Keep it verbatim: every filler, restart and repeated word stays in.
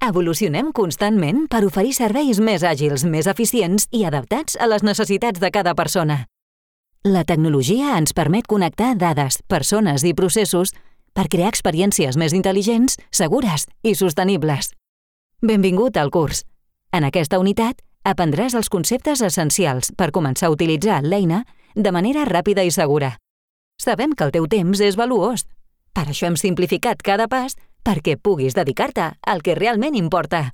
Evolucionem constantment per oferir serveis més àgils, més eficients i adaptats a les necessitats de cada persona. La tecnologia ens permet connectar dades, persones i processos per crear experiències més intel·ligents, segures i sostenibles. Benvingut al curs. En aquesta unitat aprendràs els conceptes essencials per començar a utilitzar l'eina de manera ràpida i segura. Sabem que el teu temps és valuós. Per això hem simplificat cada pas perquè puguis dedicar-te al que realment importa.